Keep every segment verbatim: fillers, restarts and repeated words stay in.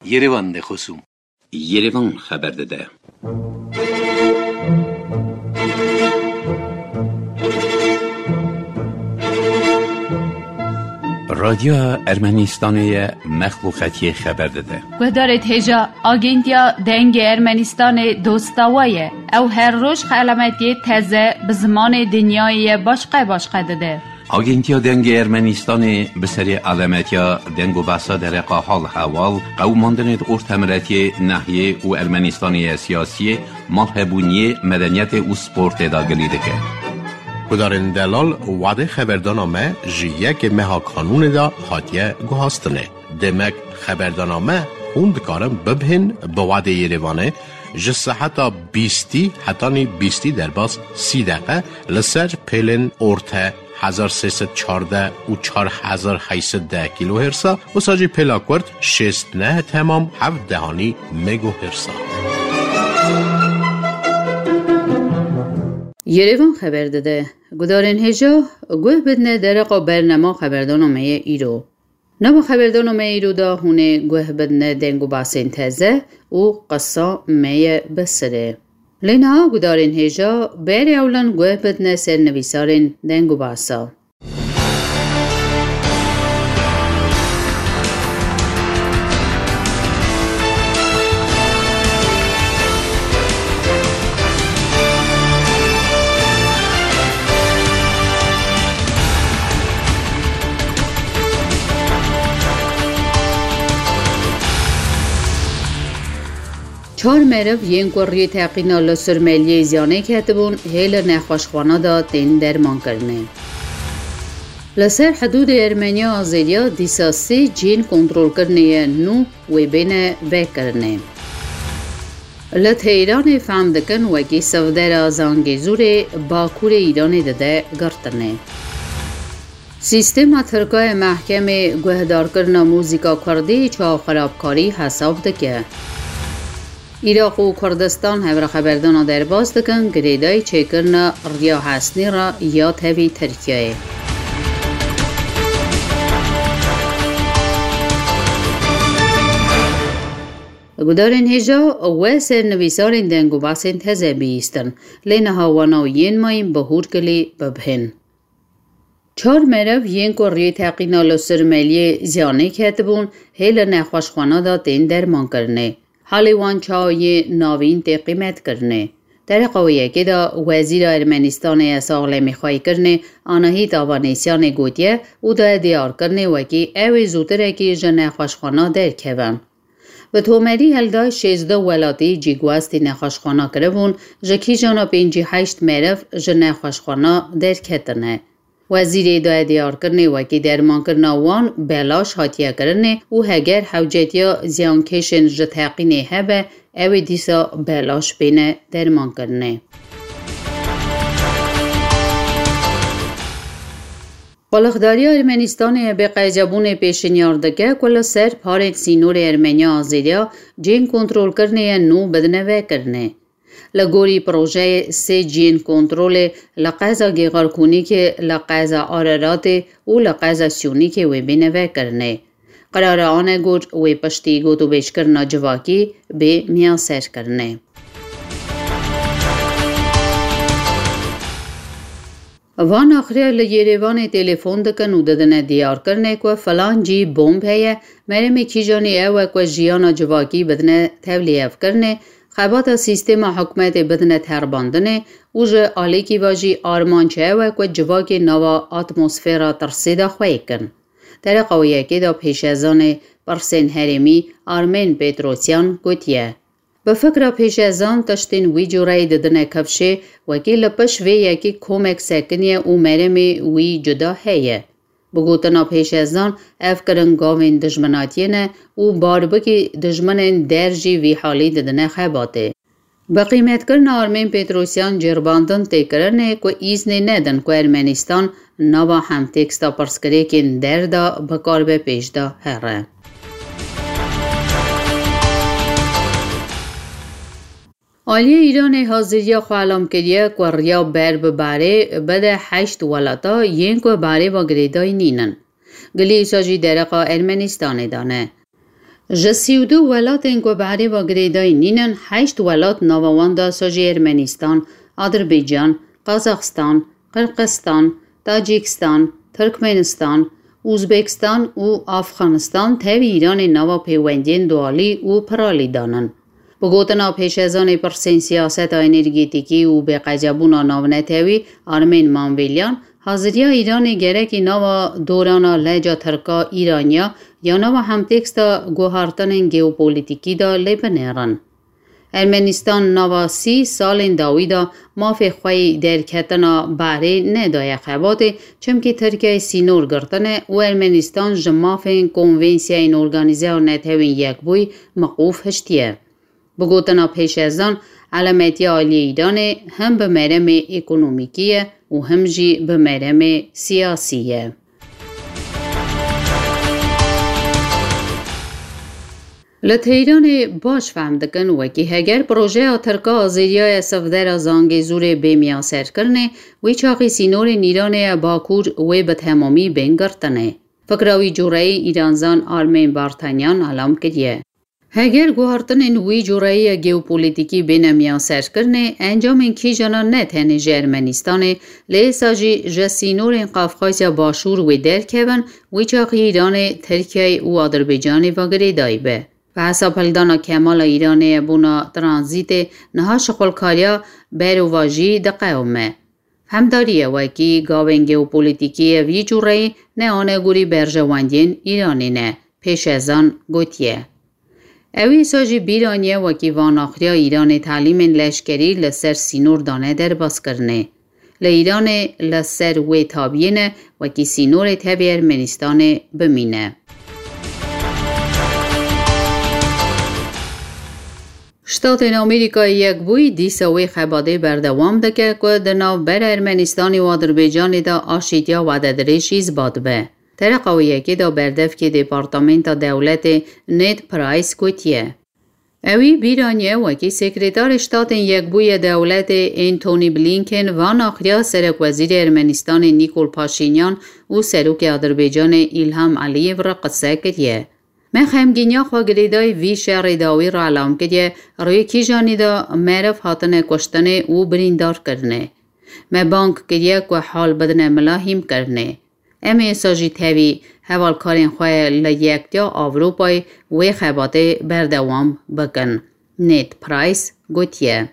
Yerevan de xosûm. Yerevan xeber dide. Radyoya Ermenistanê ye, mexluqetiyê xeber dide. Guhdarê hêja, Agentiya Dengê Ermenistanê dosta we ye. Ew her roj xelametiyê teze bi zimanê dinyayê ye başqe başqe dide. Agentiya Dengê Ermenistanê bi serê alemetiya deng û behsa dereqa hal hewal, qewimandinê di ortemiretiyê, nehiyê û Ermenistanê ye siyasiyê, malhebûniyê, medeniyetê û sportê de gilî dike. Gudarên delal, wadê xeberdana me ji yekê meha kanûnê de hatiye guhastinê. Demek xeberdana me hûn dikarin bibihên bi wadê Yerevanê ji seheta bîstî hetanî bîstî derbas sî deqe li ser pêlên orte hezar sê sed çardeh û çar hezar heyt sed deh kîlohêrsa, wisa jî pêla kurt şêst neh temam heft dehanî megohêrsa. Yerevan xeber dide. Gudarên hêja, guh bidine dereqa bernema xeberdana me ye îro. Nava xeberdana me îro de hûn ê guh bidine deng û basên teze û qisa me ye bi sirê. Lê niha gudarên hêja berê ewlan guh bidine ser nivîsarên deng û basa. Çar meriv yên ku riyê teqîna li Surmeliyê ziyanê ketibûn, hê li nexweşxwana de tên dermankirinê. Li ser hidûdê Ermeniya Azeriya dîsa sê cihên kontrolkirinê ye nû wê bêne vekirinê. Li Tehranê fehm dikin wekî sivdera Zangezûrê Bakurê Îranê dide girtinê. Sîstema Tirka ye mehkemê guhdarkirina muzîka kurdî çawa xirabkarî hesab dike. Iraq û Kurdistan hev re xeberdana derbas dikin girêdayî çêkirina riya hesnî re ya tevî Tirkiyeyê. Gudarên hêja we ser nivîsarên deng û basên teze bihîstin, lê niha wana û yên mayîn bi hûrkilî bibihên. Çar meriv yên ku riyê teqîna li Surmeliyê ziyanê ketibûn, hê li nexweşxwana de tên dermankirinê. Halê wan çawa yê navîn tê qîmetkirinê. Dereqa wê yekê de Wezîra Ermenistanê ya Saxlemîxweyîkirinê Anahît Avanesyanê gotiye û daye diyarkirinê wekî ew ê zûtirekî ji nexweşxwana derkevin. Bi tomerî hildayî şêzdeh welatî cîguastî nexweşxwana kiribûn, ji kîjana pêncî heşt meriv ji nexweşxwana derketine. Wezîrê daye diyarkirinê wekî dermankirina wan belaş hatiye kirinê û heger hewcetiya ziyankêşên ji teqînê hebe, ew ê dîsa belaş bêne dermankirinê. Qulixdariya Ermenistanê ya bê qezebûnê pêşinyar dike ku li ser parên sînorê Ermeniya Azeriya cihên kontrolkirinê yên nû bidine vekirinê. Li gorî projeyê sê cihên kontrolê li qeza Gêxarkûnîkê, li qeza Araratê û li qeza Siyûnîkê wê bêne vekirinê. Qerara Anegor wê piştî gotûbêjkirina civakî bê miyaserkirinê. Van axiriya li Yerêvanê telefon dikin û didine diyarkirinê ku filan cî bomb heye, meremê kîjanî ew e ku jiyana civakî bidine tevlîhevkirinê, xebata sîstema hikûmetê bidine terbandinê û ji alîkî ve jî armanc ew e ku civakê nava atmosfera tirsê de xweyî kin. Dereqa wê yekê de pêşezanê pirsên herêmî Armên Petrosyan gotiye, bi fikra pêşezan tiştên wî cureyî didine kifşê, wekî li pişt vê yekê komek sekiniye û meremê wî cuda heye. Bi gotina pêşezan, ev kirin gavên dijminatiyê ne û barbikî dijminên der jî vî halî didine xebatê. Bi qîmetkirina Armên Petrosyan ceribandin tê kirinê ku îznê nedin ku Ermenistan nava hemteksta pirsgirêkên der de bikaribe pêş de here. Aliyê Îranê haziriya xwe elam kiriye ku riya ber bi berê bide heşt welata yên ku berê ve girêdayî nînin. Gilî wisa jî dereqa Ermenistanê de ne. Ji sî û du welatên ku bi erê ve girêdayî nînin, heşt welat nava wan de sa jî Ermenistan, Adirbaycan, Qazaxistan, Qirqizistan, Tacîkistan, Tirkmenistan, Uzbekistan û Afxanistan tevî Îranê nava pêwendiyên dualî û piralî de nin. Bi gotina pêşezanê pirsên siyaseta energetîkî û bêqecebûna navnetewî Armên Manvelyan, haziriya Îranê gerekî nava dorana leca tirka-îraniya ya nava hemtêksta guhartinên geopolîtîkî de lê binêrin. Ermenistan nava sî salên dawî de mafê xwe yî derketina behrê nedaye xebatê, çimkî Tirkiyeyê sînor girtine û Ermenistan ji mafên Konvensiyayên Organîzeya Netewên Yekbûyî miqûf hiştiye. Bi gotina pêşezan, elametiya aliyê Îranê him bi meremê ekonomîkî ye û him jî bi meremê siyasî ye. Li Teyranê baş fehm dikin, wekî heger projeya Tirka Azêriya ye sivdera Zangezûrê bê miyaserkirinê, wî çaxî sînorên Îranê ye Bakur wê bi temamî bên girtinê. Fikra wî cureyî Îranzan Armên Bartanyan alam kiriye. Heger guhartinên wî cureyî ye geopolîtîkî bêne miyaserkirinê, encamên kîjana ne tenê ji Ermenistanê, lê êsa jî ji sînorên Qafqazya Başûr wê derkevin, wî çaxî Îranê, Tirkiyeyê û Adirbaycanê ve girêdayî be. Bi hesab hildana kemala Îranê ye bona tranzîtê, niha şixulkariya berovajî diqewime. Hemdarî ye wekî gavên geopolîtîkî ye vî cureyî ne anegorî berjewendiyên Îranê ne, pêşezan gotiye. Ew êsa jî bîr aniye wekî vanaxiriya Îranê telîmên leşkerî li ser sînor dane derbazkirinê. Li Îranê li ser wê tabiyê ne wekî sînorê tevî Ermenistanê bimîne. Ştatên Amerîkayê Yekbûyî dîsa wê xebatê berdewam dike ku di navbera Ermenistanê û Adirbaycanê de aşîtiya wededirêj îsbat be. Tereqa wê yekê de berdevkê Departamenta Dewletê Ned Price gotiye. Ewî bîr aniye wekî Sekretarê Ştatên Yekbûyî Dewletê Antony Blinken vanaxiriya Serokwezîrê Ermenistanê Nîkol Paşînyan û Serokê Adirbaycanê Îlham Eliyev re qise kiriye. Me xemgîniya xwe girêdayî vî şerê dawî re elam kiriye, rûyê kîjanî de meriv hatine kuştinê û birîndar kirinê. Me bang kiriye ku hal bidine mila hîmkirinê. Em ê êsa jî tevî hevalkarên xwe li Yektiya Ewropayê wê xebatê berdewam bikin, Ned Price gotiye.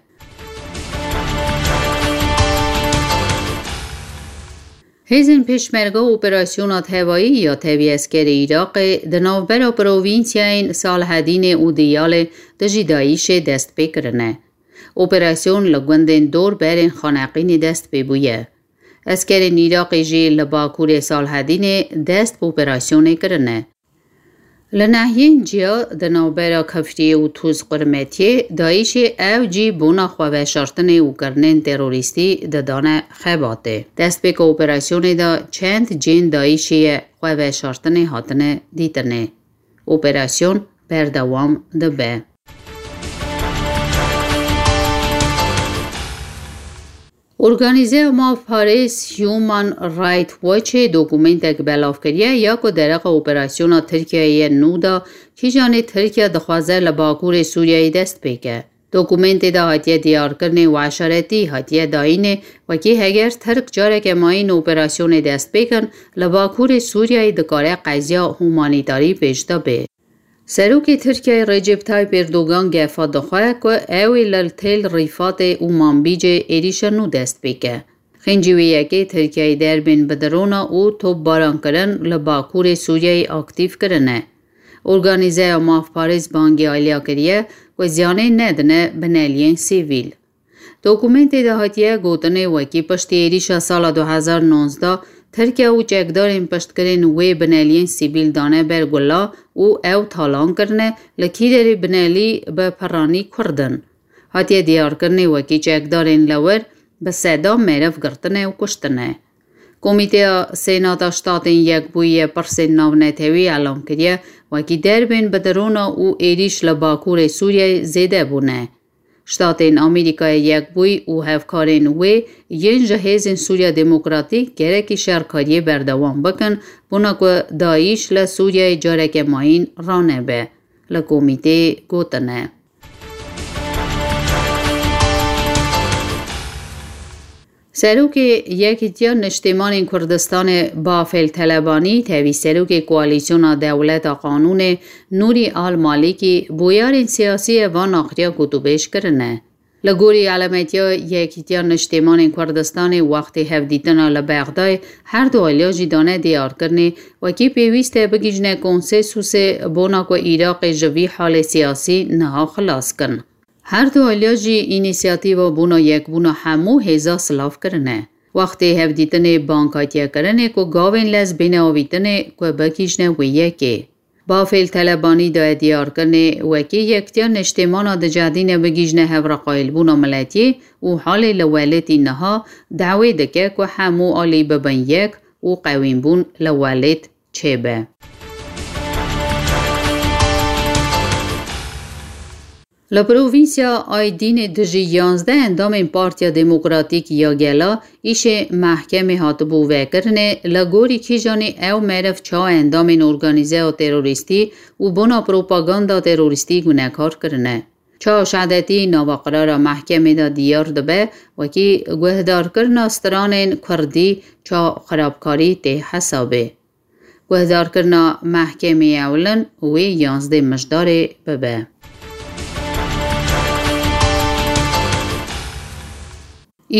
Hêzên Pêşmerge operasyona hevayî ya tevî eskerê Iraqê di navbera provînsiyayên Salhedînê û Diyalê dijî DAIŞê dest pê kirine. Operasyon li gundên dor berên Xaneqînê dest pê bûye. Eskerên Iraqê jî li bakurê Salhedînê dest bi operasyonê kirine. Li nehiyên ciya di navbera Kefriyê û Tûz Qurmetiyê DAIŞê ew cî bona xweveşartinê û kirinên terorîstî didane xebatê. Destpêka operasyonê de çend cihên DAIŞê ye xweveşartinê hatine dîtinê. Operasyon berdewam dibe. Organîzeya mafparêz Human Rights Watchê dokumentek belav kiriye ya ku dereqa operasyona Tirkiyeyê nû de kîjanê Tirkiye dixwaze li bakurê Sûriyeyê dest pê ke. Dokumentê de hatiye diyarkirinê û eşaretî hatiye dayînê wekî heger Tirk careke mayîn operasyonê dest pê kin, li bakurê Sûriyeyê dikare qeziya humanîtarî pêş de bê. Serokê Tirkiyeyê Recep Tayyip Erdogan gefa dixwe ku ew ê li Tel Rîfatê û Manbîcê êrîşa nû dest pê ke. Xêncî wê yekê Tirkiyeyê derbên bi drona û topbarankirin li bakurê Sûriyeyê aktîf kirine. Organîzeya mafparêz bangî aliya kiriye ku ziyanê nedine bineliyên sivîl. Dokumentê de hatiye gotinê wekî piştî êrîşa sala du hezar nonzdeh Tirkiye û çekdarên piştgirên wê bineliyên sivîl dane ber gula û ew talan kirine, li kîderê binelî bi piranî Kurd in. Hatiye diyarkirinê wekî çekdarên li wir bi seda meriv girtine û kuştine. Komîteya Senata Ştatên Yekbûyî yê pirsên navnetewî elam kiriye, wekî derbên bi drona û êrîş li bakurê Sûriyeyê zêde bûne. Ştatên Amerîkayê Yekbûyî û hevkarên wê yên ji Hêzên Sûriya Demokratîk gerekî şerkariyê berdewam bikin, bona ku DAIŞ li Sûriyeyê careke mayîn ranebe. li komîtê gotine. Serokê Yekîtiya Niştîmanên Kurdistanê Bafêl Telebanî tevî serokê Koalîsyona Dewleta Qanûnê Nûrî Al Malîkî bûyerên siyasî ye van axiya gotûbêj kirine. Li gorî elametiya Yekîtiya Niştîmanên Kurdistanê wextê hevdîtina li Bexdayê her du aliya jî dane diyarkirinê wekî pêwîst e bigihîjine konsensûsê bona ku Iraqê ji vî halê siyasî niha xilas kin. Her du aliya jî înîsiyatîva bona yekbûna hemû hêza silav kirine. Wextê hevdîtinê bang hatiye kirinê ku gavên lez bêne avîtinê ku bigihîjine wê yekê. Bafêl Telebanî daye diyarkirinê wekî Yektiya Niştêmana dicehdîne bigihîjine hevreqayîlbûna miletiyê û halê li welêtî niha dawê dike ku hemû alî bibin yek û qewînbûn li welêt çêbe. Li provînsya Aydînê dijî yanzdeh endamên Partiya Demokratîk ya Gela îşê mehkemê hatibû vekirinê, li gorî kîjanî ew meriv çawa endamên organîzeya terorîstî û bona propaganda terorîstî gunekar kirine. Çawa şehadetî nava qirara mehkemê de diyar dibe, wekî guhdarkirina stranên kurdî ça xirabkarî tê hesabê. Guhdarkirina mehkemê ewlin wê yanzdeh mijdarê bibe.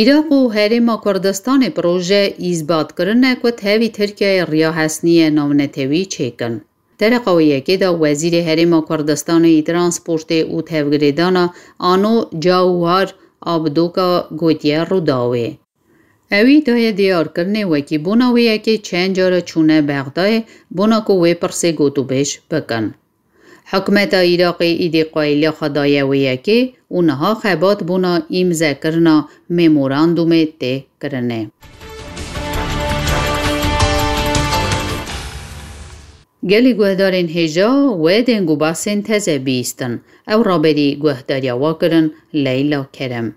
Iraq û Herêma Kurdistanê proje îsbat kirine ku tevî Tirkiyeyê riya hesnî ye navnetewî çêkin. Dereqa wê yekê de Wezîrê Herêma Kurdistanê yî Transportê û Tevgirêdana Ano Cawhar Abdoka gotiye Rûdawê. Ewî daye diyarkirinê wekî bona wê yekê çend cara çûne Bexdayê bona ku wê pirsê gotûbêj bikin. Hikûmeta Iraqê îdî qayîliya xwe daye wê yekê û niha xebat bona îmzekirina memorandumê tê kirinê. Gelî guhdarên hêja wê deng û behsên teze bihîstin. Ew raberî guhdariya we kirin Leyla Kerem.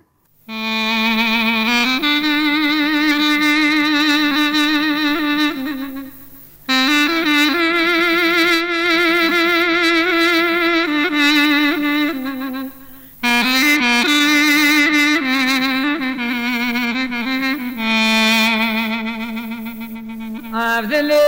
Evdilê.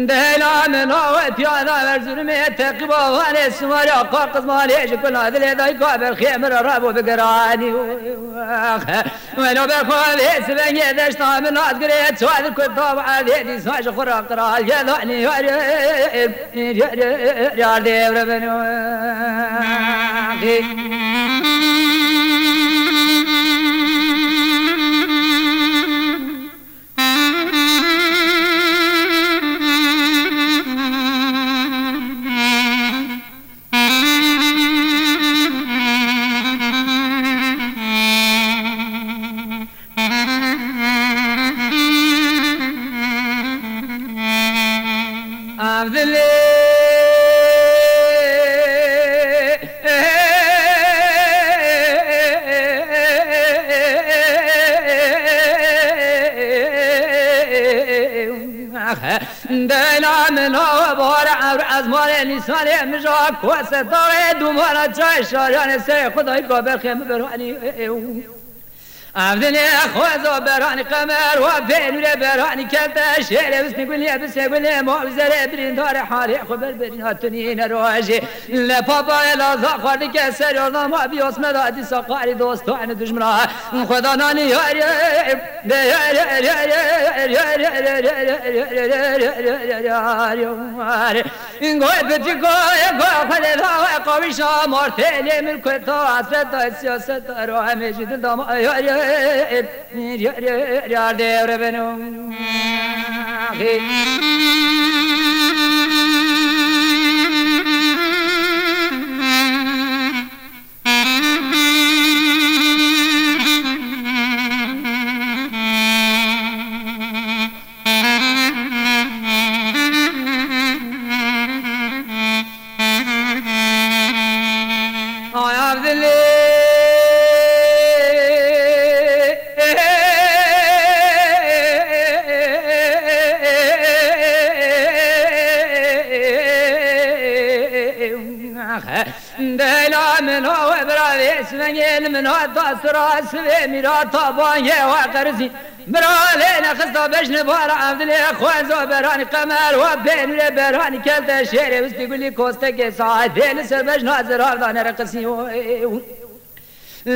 Dela min o piyada ver zulmê teqîba vanê simarê aqa qizmanê ji kuna dilê dayka berxê min re rabo bigiranî. Welo be xwe vê sibengê deşta min nazgirê çadir kurta ve evê dîsa ji xwe re qral yedanî yarê. Yar devre beno. Evdilê. Dela min o bahar evr ezmanê nîsanê min ja kose dawê dumana çay şaryanê serê xudayî gaberxê min berhanî. Evdinê xweza beranî qemer wa pênûrê beranî kevte şêrê bisnî gulê bisê gulê ma wî zerê birîndarê halê xwe ber birîna tunî ne rojê. Le papa laza xwardike ser yordan ma biyos me da dîsa qarî dostan dujmina xweda nanî yarê. Goy bitî goy goy xwedê da we qawîşa martê lê min kota hasret da siyaset da ro hemê ji dil da ma yarê. Yar devre beno. Dela min o we bira vê sivengê li min hat da sira sivê mîra ta bangê wa qerisî. Bira lê nexista bejne bara evdilê xwenzo berhanî qemer wa pênûrê berhanî kelte şêrê wistî gulî kostekê saetê li ser bejna zirav da nereqisî.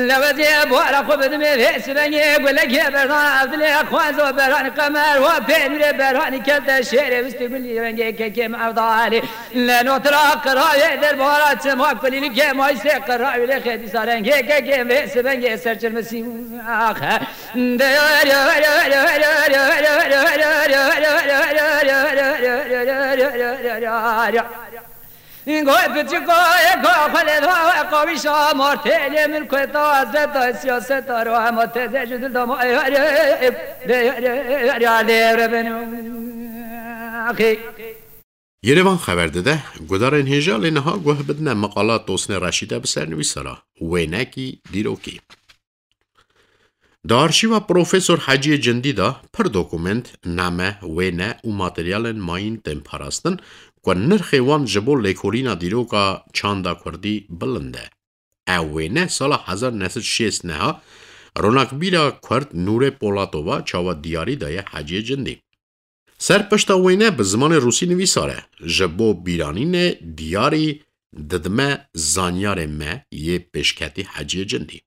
Lewezê bara xwe bidimê vê sivengê gulekê berdan evdilê xwenzo berhanî qemer wa pênûrê berhanî kelte şêrê wistî gulî rengê kekê mevdalê. Lê notira qirayê derbara çima kulîlikê maysê qirayê lê xêdîsa rengê kekê vê sivengê serçirmisî. Axe. Goy piçiko eko xwelê da we qawîşa martêlê min kueta zeta siyaseta ro hema teze ji dil dama. Yerevan xeber dide, gudarên hêja lê niha guh bidine meqala Tosnê Reşîde bi sernivîsara wênekî dîrokî. Di arşîva Profesor Heciyê Cindî de pir dokument, name, wêne û materyalên mayîn tên parastin ku nirxê wan ji bo lêkolîna dîroka çanda kurdî bilind e. Ew wêne sala hezar neh sed şêst neha ronakbîra kurd Nûrê Polatova çawa diyarî daye Heciyê Cindî. Ser pişta wêne bi zimanê rûsî nivîsar e, ji bo bîranînê diyarî didime zanyarê me yê pêşketî Heciyê Cindî.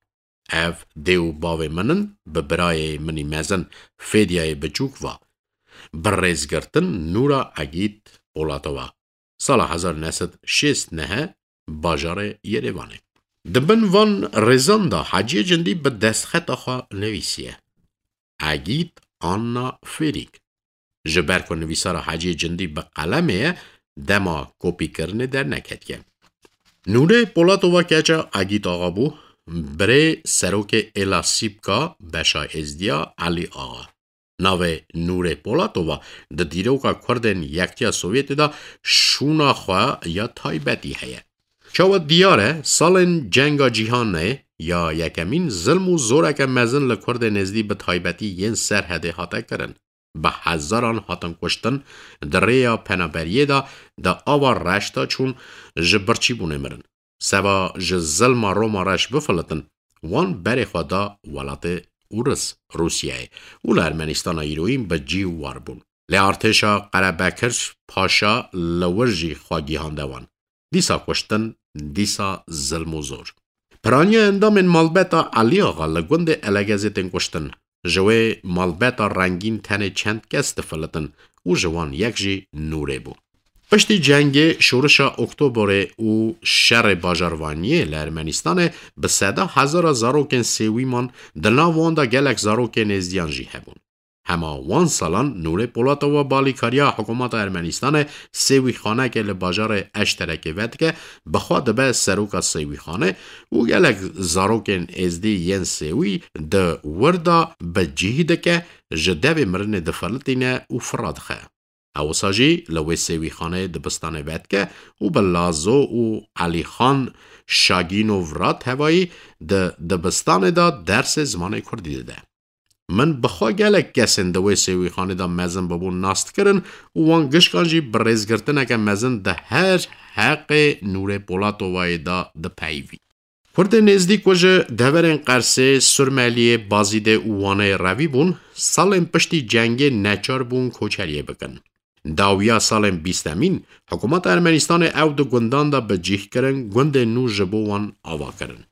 Ev dê û bavê min in, bi birayê min î mezin Fêdiyayê biçûk va. Bi rêzgirtin Nûra Egîd Polatova. Sala hezar neh sed şêst neh bajarê Yerêvanê. Di bin van rêzan de Heciyê Cindî bi destxeta xwe nivîsiye. Egîd Anna Fêrîk. Ji ber ku nivîsara Heciyê Cindî bi qelemê ye, dema kopîkirinê derneketiye. Nûrê Polatova keça Egîd Axa bû, birê serokê Êla Sîpka beşa Êzdiya Elî Axa. Navê Nûrê Polatova di dîroka Kurdên Yektiya Sovyetê de şûna xwe ya taybetî heye. Çawa diyar e, salên Cenga Cîhanê ya Yekemîn zilm û zoreke mezin li Kurdên Êzdî bi taybetî yên Serhedê hate kirin. Bi hezaran hatin kuştin, di rêya penaberiyê de di ava reş de çûn, ji birçîbûnê mirin. Seba ji zilma Roma reş bifilitin, wan berê xwe da welatê Ûris, Rûsyayê, û li Ermenîstana îroyîn bi cî û war bûn. Lê artêşa Qerebekir Paşa li wir jî xwe gihande wan. Dîsa kuştin, dîsa zilm û zor. Piraniya endamên malbeta Elî Axa li gundê Elegezê tên kuştin. Ji wê malbeta rengîn tenê çend kes difilitin û ji wan yek jî Nûrê bû. Piştî cengê şorişa Oktoberê û şerê bajarvaniyê li Ermenîstanê bi seda hezara zarokên sêwî man, di nav wan de gelek zarokên êzdiyan jî hebûn. Hema wan salan Nûrê Polatova bi alîkariya hikûmeta Ermenîstanê sêwîxanekê li bajarê Eşterekê vedike, bi xwe dibe seroka sêwîxanê û gelek zarokên êzdî yên sêwî di wir de bi cih dike, ji devê mirinê difilitîne û fira dixe. Ew wisa jî li wê sêwîxaneyê dibistanê vedike û bi Lazo û Elîxan Şagînov re tevayî di dibistanê de dersê zimanê kurdî dide. Min bi xwe gelek kesên di wê sêwîxanê de mezin bibûn nas dikirin û wan gişkan jî bi rêzgirtineke mezin di her heqê Nûrê Polatovayê de dipeyivî. Kurdên êzdî ku ji deverên Qersê, Surmeliyê, Bazîdê û Wanê revî bûn, salên piştî cengê neçar bûn koçeriyê bikin. Dawiya salên bîstemîn, hikûmeta Ermenîstanê ew di gundan de bi cih kirin, gundên nû ji bo wan ava kirin.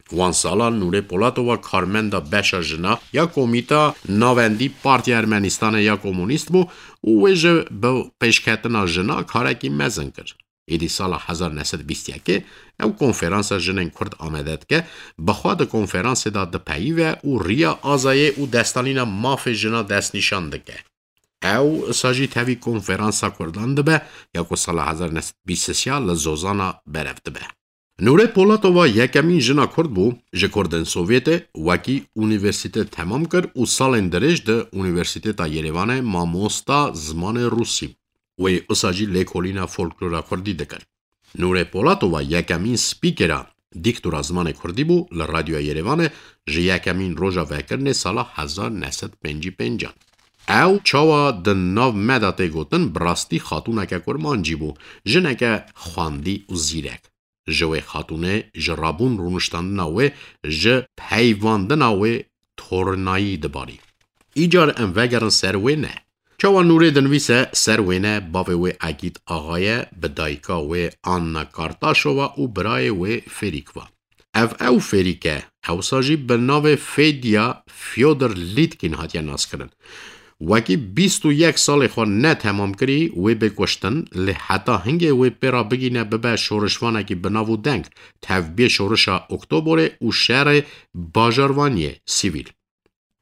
Wan salan Nûrê Polatova karmenda beşa jina ya Komîta Navendî Partiya Ermenîstanê ya Komunîst bû û wê ji bi pêşketina jina karekî mezin kir. Êdî sala hezar neh sed bîst yekê ew konferansa jinên Kurd amade dike, bi xwe di konferansê de dipeyive û riya azayê û destanîna mafê jina destnîşan dike. Ew wisa jî tevî konferansa Kurdan dibe ya ku sala hezar neh sed bîst sê li Zozana berev dibe. Nûrê Polatova yekemîn jina Kurd bû ji Kurdên Sovyetê, wekî unîversîte temam kir û salên dirêj di Unîversîteta Yerêvanê mamosta zimanê Rûsî bû. Wê wisa jî lêkolîna folklora Kurdî dikir. Nûrê Polatova yekemîn spîkera dîktora zimanê Kurdî bû li Radyoya Yerêvanê ji yekemîn roja vekirinê sala hezar neh sed pêncî pêncan. Ew çawa di nav me de tê gotin, bi rastî xatûneke kurmancî bû, jineke xwendî û zîrek. Ji wê xatûnê ji rabûn rûniştandina wê ji peyvandina wê tornayî dibarî. Îcar em vegerin ser wêne. Çawa Nûrê dinivîse, ser wêne bavê wê Egît Axa ye, bi dayika wê Anna Kartaşova û birayê wê Fêrîk va. Ev ew Fêrîk e, ewsa jî bi navê Fedya Fyodor Lîtkîn hatiye naskirin. Wekî bîst û yek salê xwe ne temam kirî, wê bê kuştin, lê heta hingê wê pê re bigîne bibe şorişvanekî bi nav û deng, tevbiyê şorişa Oktoborê û şerê bajarvaniyê sivîl.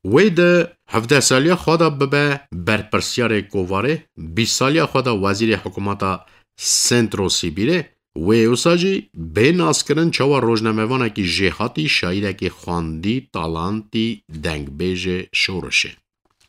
Wê di hevdeh saliya xwe de bibe berpirsiyarê kovarê, bîst saliya xwe de wezîrê hikûmeta Centro Sibîrê, wê wisa jî bê naskirin çawa rojnamevanekî jêhatî, şaîrekî xwendî, talantî, dengbêjê şorişê.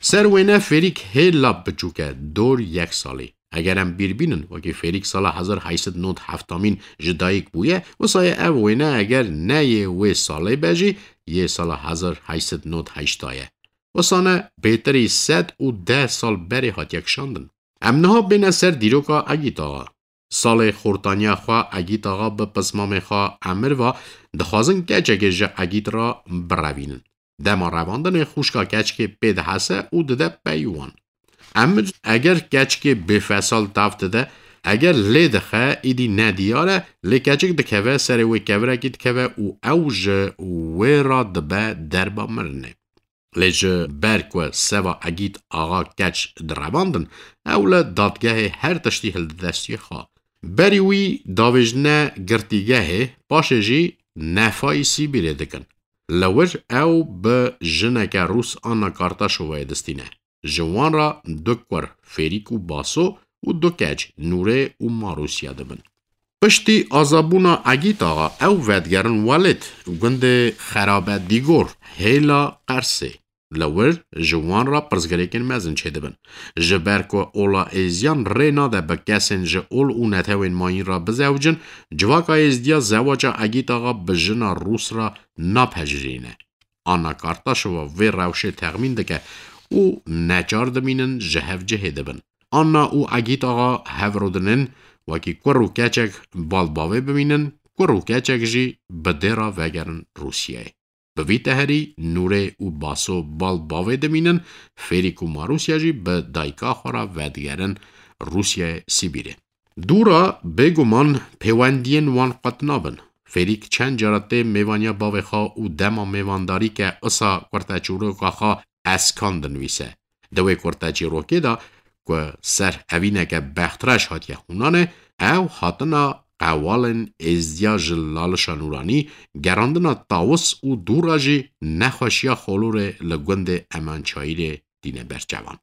Ser wêne Fêrîk hêla biçûk e, dor yek salî. Eger em bîr bînin, wekî Fêrîk sala hezar heyt sed nod heftamîn ji dayik bûye, wisa yê ev wêne eger ne yê wê salê be jî, yê sala hezar heyt sed nod heşta ye. Wisa ne bêtirî sed û deh sal berê hatiye kişandin. Em niha bêne ser dîroka Egît Axa. Salê xortaniya xwe Egît Axa bi pismamê xwe emir va, dixwazin keçekê ji Egît re birevînin. Dema revandinê xwişka keçikê pê dihese û dide pey wan. Emir eger keçikê bêfesal tav dide, eger lê dixe, îdî nediyar e, lê keçik dikeve serê wê kevirekî dikeve û ew ji wê re dibe derba mirinê. Lê ji ber ku seva Egît Axa keç direvandin, ew li dadgehê her tiştî hildi destiyê xwe. Berî wî davêjine girtîgehê, paşê jî nefayî Sîbîrê dikin. Li wir ew bi jineke Rûs Anna Kartaşovayê distîne. Ji wan re du kur Fêrîk û Baso û du keç Nûrê û Marûsya dibin. Piştî azabûna Egît Axa ew vedigerin Welêt, gundê Xerabe Dîgor, hêla Qersê. Li wir ji wan re pirsgirêkên mezin çêdibin. Ji ber ku ola êzdiyan rê nade bi kesên ji ol û netewên mayîn re bizewicin, civaka êzdiya zewaca Egît Axa bi jina Rûs re napejirîne. Anna Kartaşova vê rewşê texmîn dike û neçar dimînin ji hev cihê dibin. Anna û Egît Axa hev rûdinin, wekî kur û keçek bal bavê bimînin, kur û keçek jî bi dê re vegerin Rûsyayê. Bi vî teherî Nûrê û Baso bal bavê dimînin, Fêrîk û Marûsya jî bi dayika xwe re vedigerin Rûsyayê Sibîrê. Dû re bêguman pêwendiyên wan qet nabin. Fêrîk çend cara tê mêvaniya bavê xwe û dema mêvandarî ke isa kurteçîroka xwe Eskan dinivîse. Di wê kurteçîrokê de ku ser evîneke bextreş hatiye hûnanê, ew hatina qewalên êzdiya ji Lalişa Nûranî, gerandina tawis û dû re jî nexweşiya xolorê li gundê Emançayîrê tîne ber çavan.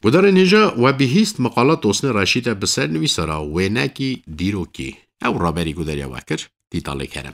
Gudarên hêja, we bihîst meqala Tosnê Reşîd e bi ser nivîsara wênekî dîrokî. Ew raberî gudariya we kir, Tîtalê Kerem.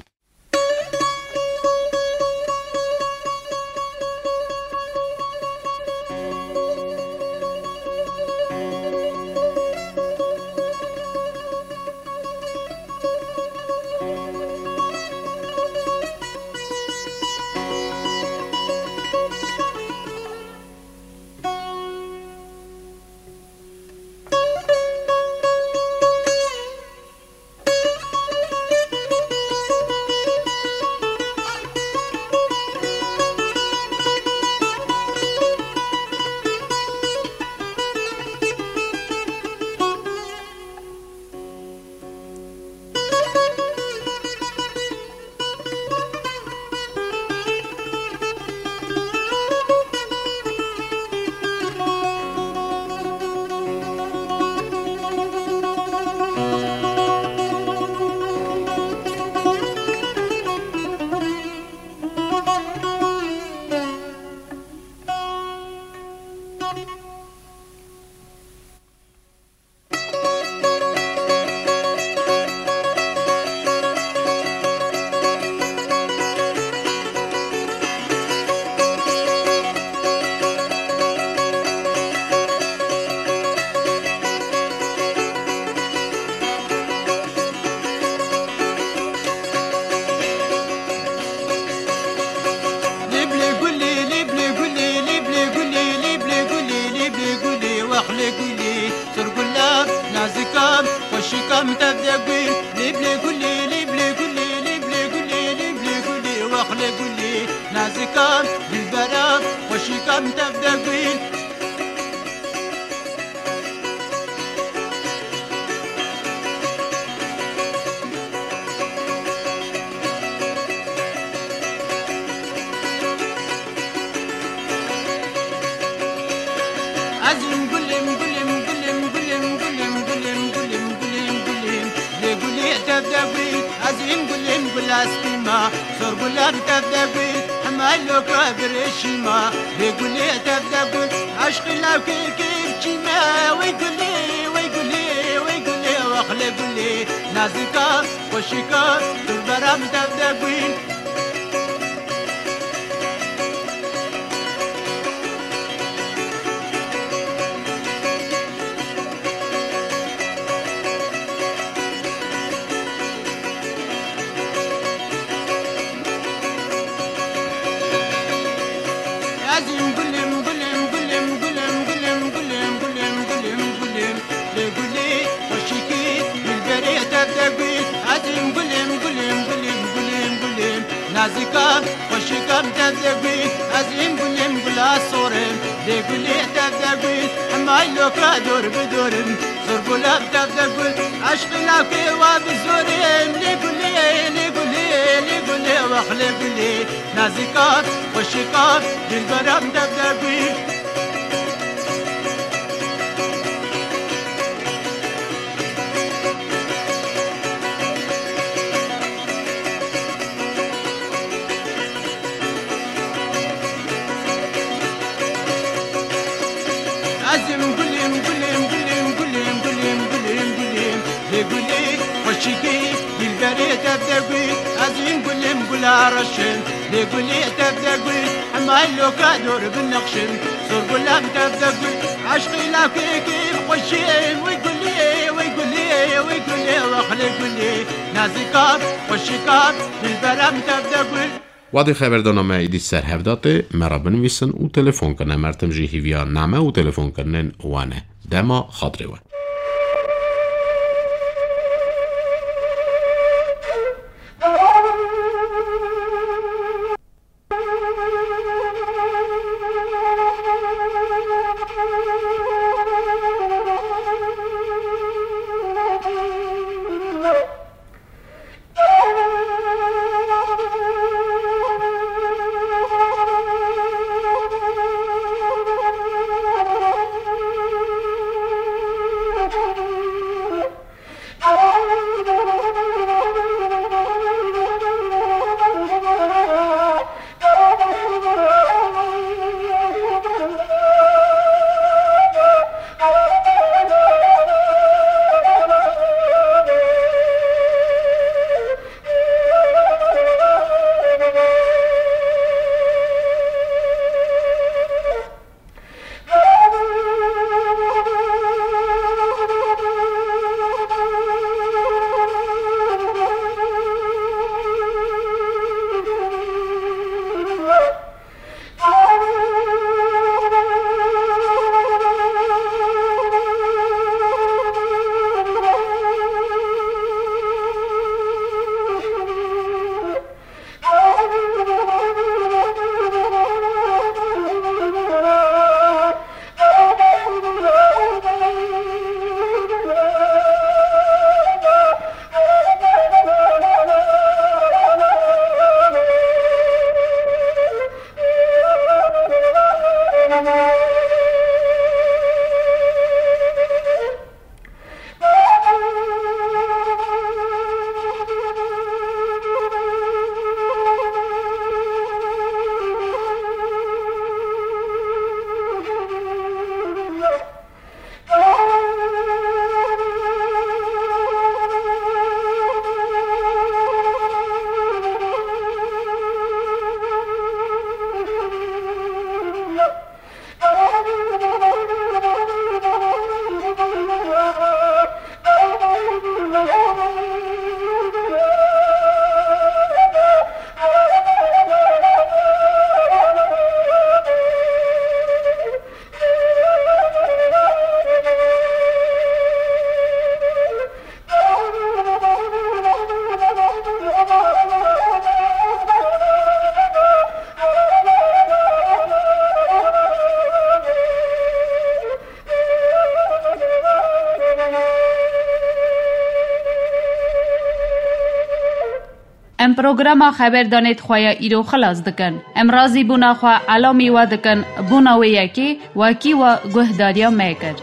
Kam tev de gul, lê bilê gulê, lê bilê gulê, lê bilê gulê, lê bilê gulê, wex lê gulê, nazika, dilbera, xweşîka min tev de gul. Ez im gulim, gulim, gulim, gulim, gulim, gulim, gulim, gulim, gulim. Lê gulê tev de gul, ez im gulim, gula spî ma. Sor gula bi tev de gul, hema loka birêşî ma. Lê gulê tev de gul, eşqî lawkê kê biçî me. Wey gulê, wey gulê, wey gulê, wex lê gulê. Nazika, xweşika, tu bera min tev de gul. Ez im gulim, gulim, gulim, gulim, gulim, gulim, gulim, gulim, gulim, gulim. Lê gulê xweşikî, dilberê tev de gul. Ez im gulim, gulim, gulim, gulim, gulim. Nazika, xweşika min tev de gul. Ez im gulim, gula sorim. Lê gulê tev de gul. Hemay loka dor bi dorim. Zor gula min tev de gul. Eşqê lawkê wa bi zorim. Lê gulê, lê gulê, lê gulê, wex lê gulê. Nazika, xweşika, dilbera min tev de gul. Ez im gulim, gulim, gulim, gulim, gulim, gulim, gulim. Lê gulê xweşikê, dilberê tev de gul. Ez im gulim, gula reşim. Lê gulê tev de gul, hema loka dor binexşim. Sor gula min tev de gul, eşqê lawkê kê bi xweşiyê. Wey gulê, wey gulê, wey gulê, wex lê gulê. Nazika, xweşika, dilbera min tev de gul. Wadê xeberdana me êdî ser hev de tê, me re binivîsin û telefon kirine. Mertim jî hîviya name û telefonkirinên we ne. Dema xatirê we. Em programa xeberdanê xwe ya îro xilas dikin. Em razîbûna xwe elamî we dikin bona wê yekê wekî we guhdariya me kir.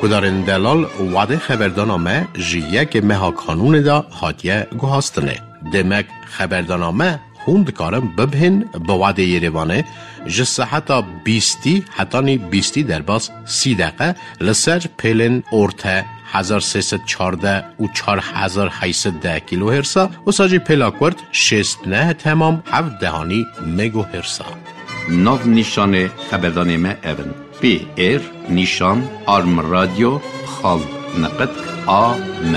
Guhdarên delal, wadê xeberdana me ji yekê meha Kanûnê de hatiye guhastinê. Demek xeberdana me hûn dikarin bibihên bi wadê Yerêvanê ji seheta bîstî hetanî bîstî derbas sî deqe li ser pêlên orte hezar sê sed çardeh û çar hezar heyt sed deh kilohertsa, wisa jî pêla kurt şêst neh temam heft dehanî megohertsa. Nav nîşanê xeberdanê me ev in: P R nîşan arm radyo xal neqet a m.